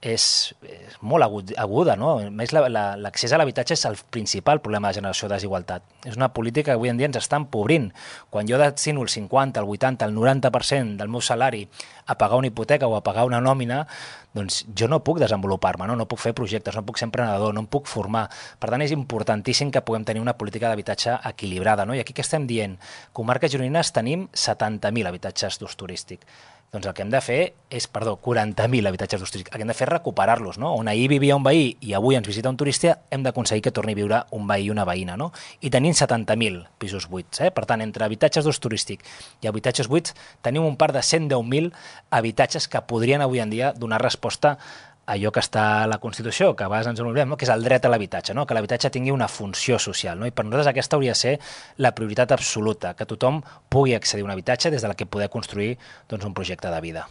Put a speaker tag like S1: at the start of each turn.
S1: és molt aguda, no? A més, l'accés a l'habitatge és el principal problema de generació de desigualtat. És una política que avui en dia ens està empobrint. Quan jo destino el 50, el 80, el 90% del meu salari a pagar una hipoteca o a pagar una nòmina, doncs jo no puc desenvolupar-me, no puc fer projectes, no puc ser emprenedor, no em puc formar. Per tant, és importantíssim que puguem tenir una política d'habitatge equilibrada, no? I aquí què estem dient? Comarques gironines tenim 70.000 habitatges d'ús turístic. Doncs el que hem de fer és, 40.000 habitatges d'ús turístic. El que hem de fer és recuperar-los, no? On ahir vivia un veí i avui ens visita un turista, hem d'aconseguir que torni a viure un veí i una veïna, no? I tenim 70.000 pisos buits, eh? Per tant, entre habitatges d'ús turístic i habitatges buits, tenim un parc de 110.000 habitatges que podrien avui en dia donar resposta a allò que està a la Constitució, que a vegades ens en oblidem, no? Que és el dret a l'habitatge, no? Que l'habitatge tingui una funció social, no? I per nosaltres aquesta hauria de ser la prioritat absoluta, que tothom pugui accedir a un habitatge des de la que poder construir, doncs, un projecte de vida.